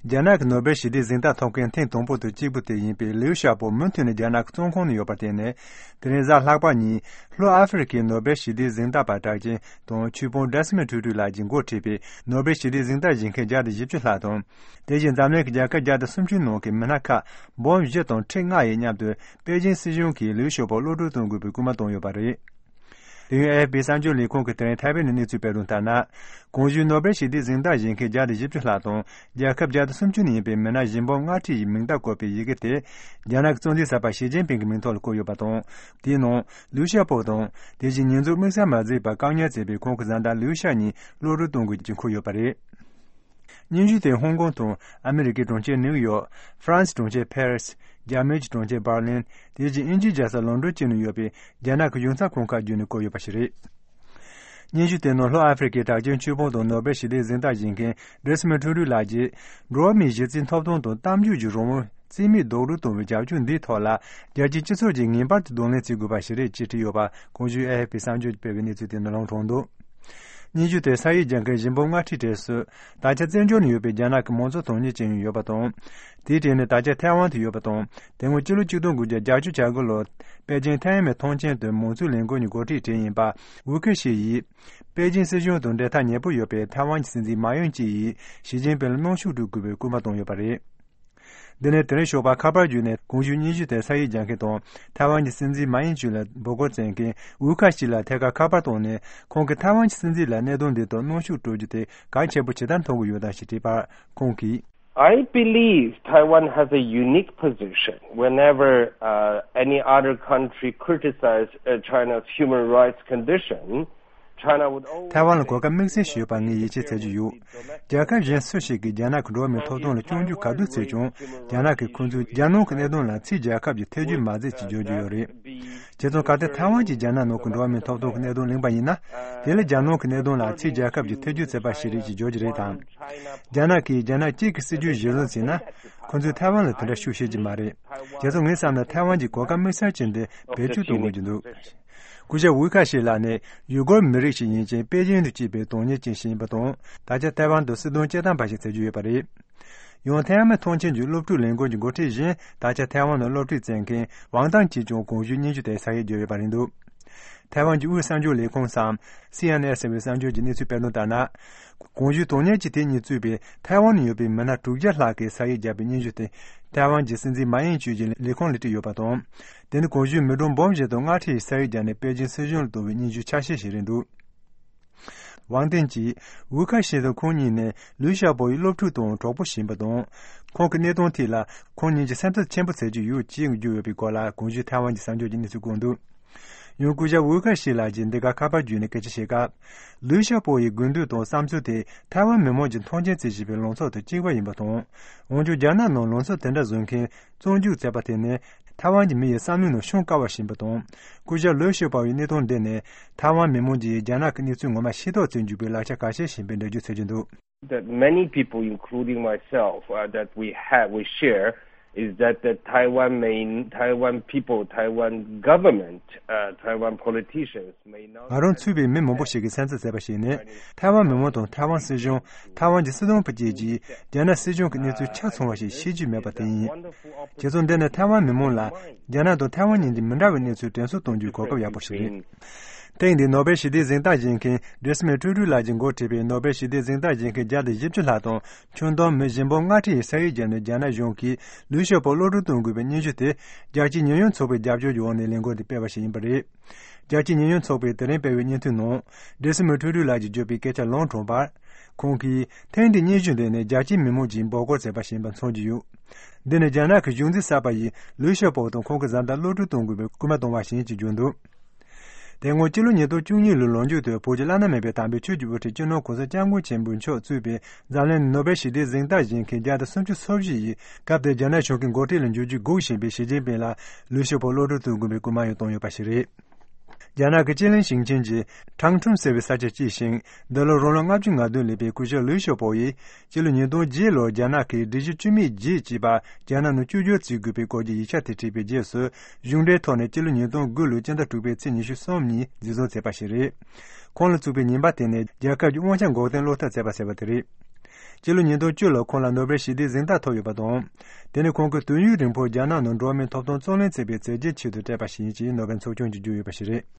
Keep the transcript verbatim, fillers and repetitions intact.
རྒྱ་ནག་གི་ནོ་བེལ་ཞི་བདེའི་གཟེངས་རྟགས་ཐོབ་མཁན་ཐེངས་དང་པོ་དང་གཅིག་པུ་དེ་ཡིན་པའི་ལིའུ་ཞའོ་པོ་མུ་མཐུད་ནས་རྒྱ་ནག་གི་བཙོན་ཁང་ནང་ཡོད་པར་བརྟེན་ནས། དེ་རིང་གཟའ་ལྷག་པ་ཉིན་ལྷོ་ཨ་ཧྥེ་རི་ཁའི་ནོ་བེལ་ཞི་བདེའི་གཟེངས་རྟགས་པ་གྲགས་ཅན་དང་ཆོས་དཔོན་ཌེ་སི་མོན་ཊུ་ཊུ་ལགས་ཀྱིས་འགོ་ཁྲིད་པའི་ནོ་བེལ་ཞི་བདེའི་གཟེངས་རྟགས་བཞེས་མཁན་བརྒྱ་དང་བཞི་བཅུ་ལྷག་དང་། དེ་བཞིན་འཛམ་གླིང་གི་རྒྱལ་ཁབ་བརྒྱ་དང་སུམ་ཅུ་ནང་གི་མི་སྣ་ཁག་འབུམ་བཞི་དང་ཁྲི་ལྔ་ཡི་མཉམ་དུ་པེ་ཅིང་སྲིད་གཞུང་གིས་ལིའུ་ཞའོ་པོ་གློད་གྲོལ་གཏོང་དགོས་པའི་སྐུལ་མ་བཏང་ཡོད་པ་རེད། དེ་ཡང་ཨེ་ཨེཕ་པི་གསར་འགྱུར་ལས་ཁང་གིས་དེ་རིང་ཐའེ་ཝན་ནས་གནས་ཚུལ་སྤེལ་དོན་ལྟར་ན། གོང་ཞུས་ནོ་བེལ་ཞི་བདེའི་གཟེངས་རྟགས་བཞེས་མཁན་བརྒྱ་དང་བཞི་བཅུ་ལྷག་དང་། རྒྱལ་ཁབ་བརྒྱ་དང་སུམ་ཅུ་ནས་ཡིན་པའི་མི་སྣ་བཞི་འབུམ་ལྔ་ཁྲི་ཡི་མིང་རྟགས་བཀོད་པའི་ཡི་གེ་དེ། རྒྱ་ནག་གི་གཙོ་འཛིན་གསར་པ་ཞི་ཅིན་ཕིང་གི་མིང་ཐོག་ལ་བཀོད་ཡོད་པ་དང་། དེའི་ནང་ལིའུ་ཞའོ་པོ་དང་། དེ་བཞིན་ཉེས་འཛུགས་དམིགས་བསལ་མ་མཛད་པར་བཀག་ཉར་མཛད་པའི་ཁོང་གི་བཟའ་ཟླ་ལིའུ་ཤ་གཉིས་གློད་གྲོལ་གཏོང་དགོས་ཀྱི་འཁོད་ཡོད་པ་རེད། སྙན་ཞུ་དེ་ཧོང་ཀོང་དང་ཨ་མི་རི་ཀའི་གྲོང་ཁྱེར་ནིའུ་ཡོག་ཧྥ་རན་སི་གྲོང་ཁྱེར་ཕེ་རི་སི། རྒྱ་མིའི་གྲོང་ཁྱེར་འབར་ལིན། དེ་བཞིན་དབྱིན་ཇིའི་རྒྱལ་ས་ལོན་ཌོན་བཅས་ནང་ཡོད་པའི་རྒྱ་ནག་གི་ཡིག་ཚང་ཁང་ཁག་བརྒྱུད་ནས་བཀོད་ཡོད་པ་ཞིག་རེད། སྙན་ཞུ་དེ་ནང་ལྷོ་ཨ་ཧྥེ་རི་ཁའི་གྲགས་ཅན་ཆོས་དཔོན་དང་ནོ་བེལ་ཞི་བདེའི་གཟེངས་རྟགས་བཞེས་མཁན་ཌེ་སི་མོན་ཊུ་ཊུ་ལགས་ཀྱིས། འགྲོ་བ་མིའི་གཞི་རྩའི་ཐོབ་ཐང་དང་གཏམ་བརྗོད་ཀྱི་རང་དབང་རྩིས་མེད་རྡོག་རོལ་གཏོང་བའི་རྒྱབ་སྐྱོར་འདིའི་ཐོག་ལ། རྒྱལ་སྤྱིའི་སྤྱི་ཚོགས་ཀྱིས་ངེས་པར་དུ་གདོང་ལེན་བྱེད་དགོས་པ་ཞིག་རེད་ཅེས་བྲིས་ཡོད་པ། གོང་ཞུས་ཨེ་ཨེཕ་པི་གསར་འགྱུར་གྱིས་སྤེལ་བའི་གནས་ཚུལ་དེ་ནང་ལྷུང་འདུག་སྙན་ཞུ་དེ་ས་ཡིག་རྒྱག་མཁན་བཞི་འབུམ་ལྔ་ཁྲིའི་གྲས་སུ། ད་ཆ་བཙན་བྱོལ་ནང་ཡོད་པའི་རྒྱ་ནག་གི་མང་གཙོ་དོན་གཉེར་ཅན་ཡང་ཡོད་པ་དང་། དེའི་གྲས་ནས་ད་ཆ་ཐའེ་ཝན་དུ་ཡོད་པ་དང་། དེ་སྔོན་ཕྱི་ལོ་ཆིག་སྟོང་དགུ་བརྒྱ་བརྒྱད་ཅུ་གྱ་དགུ་ལོར་པེ་ཅིང་ཐའེ་མེ་ཐང་ཆེན་དུ་མང་གཙོའི་ལས་འགུལ་གྱི་འགོ་ཁྲིད་གྲས་ཡིན་པ་ཝུའུ་ཁི་ཤི་ཡིས། པེ་ཅིང་སྲིད་གཞུང་དང་འབྲེལ་ཐག་ཉེ་པོ་ཡོད་པའི་ཐའེ་ཝན་གྱི་སྲིད་འཛིན་མཱ་ཡོན་ཅིག་ཡིས་ཞི་ཅིན་ཕིང་ལ་གནོན་ཤུགས་སྤྲོད་དགོས་པའི་སྐུལ་མ་བཏང་ཡོད་པ་རེད། འདི་ནས་དེ་རིང་ཞོགས་པ་ཁ་པར་བརྒྱུད་ནས་གོང་ཞུས་སྙན་ཞུ་དེ་ས་ཡིག་རྒྱག་མཁན་དང་ཐའེ་ཝན་གྱི་སྲིད་འཛིན་མཱ་ཡིན་ཅུ་ལ་འབོད་སྐུལ་བྱེད་མཁན་ཝུའུ་ཁ་ཤི་ལ་ཐད་ཀར་ཁ་པར་བཏང་ནས། ཁོང་གིས་ཐའེ་ཝན་གྱི་སྲིད་འཛིན་ལ་གནད་དོན་འདི་ཐོག་གནོན་ཤུགས་སྤྲོད་རྒྱུ་དེ་གལ་ཆེན་པོ་ཇི་ལྟར་མཐོང་གི་ཡོད་དམ་ཞེས་དྲིས་པར་ཁོང་གིས། I believe Taiwan has a unique position. Whenever uh, any other country criticizes uh, China's human rights condition, China would always ཐའེ་ཝན་ལ་གོ་སྐབས་དམིགས་བསལ་ཞིག་ཡོད་པ་ངས་ཡིད་ཆེས་བྱེད་ཀྱི་ཡོད། རྒྱལ་ཁབ་གཞན་སུ་ཞིག་གིས་རྒྱ་ནག་གི་འགྲོ་བ་མིའི་ཐོབ་ཐང་ལ་སྐྱོན་བརྗོད་ག་དུས་བྱས་ཀྱང་། རྒྱ་ནག་གིས་ཁོ་ཚོས་རྒྱ་ནག་གི་གནད་དོན་ལ་ཕྱིའི་རྒྱལ་ཁབ་ཀྱི་ཐེ་བྱུས་མ་མཛད་ཅེས་བརྗོད་ཀྱི་ཡོད་རེད། བྱས་ཙང་གལ་ཏེ་ཐའེ་ཝན་གྱིས་རྒྱ་ནག་ནང་གི་འགྲོ་བ་མིའི་ཐོབ་ཐང་གི་གནད་དོན་གླེང་པ་ཡིན་ན། དེ་ལ་རྒྱ་ནག་གི་གནད་དོན་ལ་ཕྱིའི་རྒྱལ་ཁབ་ཀྱིས་ཐེ་བྱུས་བྱས་པ་ཞིག་རེད་ཅེས་བརྗོད་ཀྱི་རེད་དམ། རྒྱ་ནག་གིས་རྒྱ་ནག་གཅིག་གི་སྲིད་ཇུས་གཞིར་བཟུང་བྱས་ན། ཁོ་ཚོས་ཐའེ་ཝན་ལ་དེ་འདྲ་ཤུགས་བྱེད་ཀྱི་མ་རེད། བྱས་ཙང་ངའི་བསམ་ན་ཐའེ་ཝན་གྱིས་གོ་སྐབས་དམིགས་བསལ་ཅན་དེ་བེད་སྤྱོད་གཏོང་དགོས་ཀྱི་འདུག་སྐུ་ཞབས་ཝུའུ་ཁ་ཤི་ལགས་ནི་ཡུ་གུར་མི་རིགས་ཤིག་ཡིན་ཅིང་པེ་ཅིང་དུ་སྐྱེས་པའི་གདོང་ཉེས་ཅན་ཞིག་ཡིན་པ་དང་། ད་ཆ་ཐའེ་ཝན་དུ་སྲིད་དོན་སྐྱོད་སྟངས་པ་ཞིག་བྱེད་ཀྱི་ཡོད་པ་རེད། ཡང་ཐའེ་ཝན་ཐང་ཆེན་གྱི་སློབ་ཕྲུག་ལས་འགུལ་གྱི་འགོ་ཁྲིད་གཞན་ད་ཆ་ཐའེ་ཝན་ནང་སློབ་ཁྲིད་བྱེད་མཁན་ཝང་ཏང་གིས་ཀྱང་གོང་ཞུས་སྙན་ཞུ་དེ་ས་ཡིག་བརྒྱབ་ཡོད་པ་རེད་འདུག་ཐའེ་ཝན་གྱི་དབུས་གསར་འགྱུར་ལས་ཁུངས་སམ། སི་ཨེན་ཨེ་ཟེར་བའི་གསར་འགྱུར་གྱིས་གནས་ཚུལ་སྤེལ་དོན་ལྟར་ན། གོང་ཞུས་གདོང་ཉེས་ཀྱི་དེ་གཉིས་གཙོས་པའི་ཐའེ་ཝན་ནང་ཡོད་པའི་མི་སྣ་དྲུག་བརྒྱ་ལྷག་གིས་ས་ཡིག་བརྒྱབ་པའི་སྙན་ཞུ་དེ། ཐའེ་ཝན་གྱི་སྲིད་འཛིན་མཱ་ཡིན་ཅུས་ཀྱི་ལས་ཁུངས་ལ་བྲིས་ཡོད་པ་དང་། དེ་ནི་གོང་ཞུས་མི་གྲངས་འབུམ་བཞི་དང་ལྔ་ཁྲི་ཡིས་ས་ཡིག་བརྒྱབ་ནས་པེ་ཅིན་སྲིད་གཞུང་ལ་གཏོང་བའི་སྙན་ཞུ་ཆ་ཤས་ཤིག་རེད་འདུག་ཝང་ཏེན་གྱིས་ཝུའུ་ཁ་ཤི་དང་ཁོང་གཉིས་ནི་ལུའུ་ཞའོ་པོ་ཡི་སློབ་ཕྲུག་དང་གྲོགས་པོ་ཞིག་ཡིན་པ་དང་། ཁོང་གི་གནས་སྟངས་ཐད་ལ་ཁོང་གཉིས་ཀྱིས་སེམས་འཚབ་ཆེན་པོ་བྱེད་ཀྱི་ཡོད་ཅེས་བརྗོད་ཡོད་པའི་སྐོར་ལ་གོང་ཞུས་ཐའེ་ཝན་གྱི་གསར་འགྱུར་གྱིས་གནས་ཚུལ་བཀོད་འདུག་ཡང་སྐུ་ཞབས་ཝུའུ་ཁ་ཤི་ལགས་ཀྱིས་འདི་ག་ཁ་པར་བརྒྱུད་ནས་སྐད་ཆ་བཤད་སྐབས། ལུའུ་ཞའོ་པོ་ཡི་དགོས་འདུན་དང་བསམ་ཚུལ་དེ་ཐའེ་ཝན་མི་མང་གིས་མཐོང་ཆེན་བྱེད་བཞིན་པའི་ལངས་ཕྱོགས་དང་གཅིག་པ་ཡིན་པ་དང་། འོན་ཀྱང་རྒྱ་ནག་ནང་ལངས་ཕྱོགས་དེ་འདྲ་བཟུང་མཁན་བཙོན་འཇུག་བྱས་པ་དེ་ནི་ཐའེ་ཝན་གྱི་མི་ཡི་བསམ་བློའི་ནང་ཤོང་དཀའ་བ་ཞིག་ཡིན་པ་དང་། སྐུ་ཞབས་ལུའུ་ཞའོ་པོ་ཡི་གནས་སྟངས་འདི་ནི་ཐའེ་ཝན་མི་མང་གིས་རྒྱ་ནག་གི་གནས་ཚུལ་ངོ་མ་ཤེས་རྟོགས་བྱེད་འཇུག་པའི་ལག་ཆ་གལ་ཆེ་ཞིག་ཡིན་པའི་འགྲེལ་བརྗོད་བྱེད་ཀྱི་འདུག That many people, including myself, uh, that we have, we share, is that the Taiwan main, Taiwan people, Taiwan government, uh, Taiwan politicians may not. ང་རང་ཚུད་པའི་མི་མང་པོ་ཞིག་གིས་སེམས་འཚབ་བྱས་པ་ཞིག་ནི། ཐའེ་ཝན་མི་མང་དང་ཐའེ་ཝན་སྲིད་གཞུང་། ཐའེ་ཝན་གྱི་སྲིད་དོན་པ་བཅས་ཀྱིས་རྒྱ་ནག་སྲིད་གཞུང་གི་གནས་ཚུལ་ཆ་ཚང་བ་ཞིག་ཤེས་རྒྱུ་མེད་པ་དེ་ཡིན། བྱས་ཙང་འདི་ནི་ཐའེ་ཝན་མི་མང་ལ་རྒྱ་ནག་དང་ཐའེ་ཝན་གཉིས་ཀྱི་མི་འདྲ་བའི་གནས་ཚུལ་དྲན་གསོ་གཏོང་རྒྱུའི་གོ་སྐབས་ཡག་པོ་ཞིག་རེད། ཐེངས་འདིའི་ནོ་བེལ་ཞི་བདེའི་གཟེངས་རྟགས་བཞེས་མཁན་ཌེ་སི་མོན་ཊུ་ཊུ་ལགས་ཀྱིས་འགོ་ཁྲིད་པའི་ནོ་བེལ་ཞི་བདེའི་གཟེངས་རྟགས་བཞེས་མཁན་བརྒྱ་དང་བཞི་བཅུ་ལྷག་དང་ཁྱོན་བསྡོམས་མི་བཞི་འབུམ་ལྔ་ཁྲི་ཡི་ས་ཡིག་བརྒྱབ་ནས་རྒྱ་ནག་གཞུང་གིས་ལུའུ་ཞའོ་པོ་གློད་གྲོལ་གཏོང་དགོས་པའི་སྙན་ཞུ་དེ། རྒྱལ་སྤྱིའི་ཉེས་ཡངས་ཚོགས་པའི་རྒྱབ་སྐྱོར་གྱི་འོག་ནས་ལས་འགུལ་འདི་སྤེལ་བ་ཞིག་ཡིན་པ་རེད། རྒྱལ་སྤྱིའི་ཉེས་ཡངས་ཚོགས་པས་དེ་རིང་སྤེལ་བའི་སྙན་ཐོའི་ནང་། ཌེ་སི་མོན་ཊུ་ཊུ་ལགས་ཀྱིས་བརྗོད་པའི་སྐད་ཆ་ལུང་དྲངས་པར། ཁོང་གིས་ཐེངས་འདིའི་སྙན་ཞུ་འདི་ནི་རྒྱལ་སྤྱིའི་མི་མང་གིས་འབོད་སྐུལ་བྱས་པ་ཞིག་ཡིན་པ་མཚོན་གྱི་ཡོད། འདི་ནི་རྒྱ་ནག་གི་གཞུང་འཛིན་གསར་པ་ཡིས་ལུའུ་ཞའོ་པོ་དང་ཁོང་གི་བཟའ་ཟླ་གློད་གྲོལ་གཏོང་དགོས་པའི་སྐུལ་མ་བཏང་བ་ཞིག་ཡིན་ཅེས་བརྗོད་འདུག་དེ་སྔོན་སྤྱི་ལོ་ཉིས་སྟོང་བཅུ་གཉིས་ལོའི་ལོ་མཇུག་ཏུ་བོད་ཀྱི་བླ་ན་མེད་པའི་དམ་པའི་ཆོས་ཀྱི་དབུ་ཁྲིད་སྤྱི་ནོར་༸གོང་ས་༸སྐྱབས་མགོན་ཆེན་པོ་མཆོག་གཙོས་པའི་འཛམ་གླིང་ནོ་བེལ་ཞི་བདེའི་གཟེངས་རྟགས་བཞེས་མཁན་བརྒྱ་དང་སུམ་ཅུ་སོ་བཞི་ཡིས་སྐབས་དེར་རྒྱ་ནག་གཞུང་གི་འགོ་ཁྲིད་ལ་འགྱུར་རྒྱུ་སྒུག་བཞིན་པའི་ཞི་ཅིན་ཕིང་ལ་ལུའུ་ཞའོ་པོ་གློད་གྲོལ་གཏོང་དགོས་པའི་སྐུལ་མ་ཡང་བཏང་ཡོད་པ་ཞིག་རེད། རྒྱ་ནག་གི་ཅི་ལིན་ཞིང་ཆེན་གྱི་ཁྲང་ཁྲུན་ཟེར་བའི་ས་ཆར་སྐྱེས་ཤིང་། འདི་ལོར་རང་ལོ་ལྔ་བཅུ་ང་བདུན་སླེབས་པའི་སྐུ་ཞབས་ལུའུ་ཞའོ་པོ་ཡིས། སྤྱི་ལོ་ཉིས་སྟོང་བརྒྱད་ལོར་རྒྱ་ནག་གིས་སྒྲིག་གཞི་བཅུ་མེད་བརྒྱད་ཅེས་པ་རྒྱ་ནག་ནང་བཅོས་བསྒྱུར་བྱེད་དགོས་པའི་སྐོར་གྱི་ཡིག་ཆ་དེ་བྲིས་པའི་རྗེས་སུ། གཞུང་འབྲེལ་ཐོག་ནས་སྤྱི་ལོ་ཉིས་སྟོང་དགུ་ལོའི་སྤྱི་ཟླ་དྲུག་པའི་ཚེས་ཉི་ཤུ་གསུམ་ཉིན་འཛིན་བཟུང་བྱས་པ་ཞིག་རེད། ཁོང་ལ་བཙུགས་པའི་ཉེས་པ་དེ་ནི་རྒྱལ་ཁབ་ཀྱི་དབང་ཆ་འགོག་སྡེམ་སློག་ཐབས་བྱས་པ་ཟེར་བ་དེ་རེད། སྤྱི་ལོ་ཉིས་སྟོང་བཅུ་ལོར་ཁོང་ལ་ནོ་སྦེལ་ཞི་བདེའི་གཟེངས་རྟགས་ཐོབ་ཡོད་པ་དང་། དེ་ནི་ཁོང་གིས་དུས་ཡུན་རིང་པོར་རྒྱ་ནག་ནང་འགྲོ་བ་མིའི་ཐོབ་ཐང་རྩོད་ལེན་བྱས་པའི་མཛད་རྗེས་ཆེད་དུ་སྤྲད་པ་ཞིག་ཡིན་ཅེས་ནོ་སྦེལ་ཚོགས་ཆུང་གིས་བརྗོད་ཡོད་པ་ཞིག་རེད།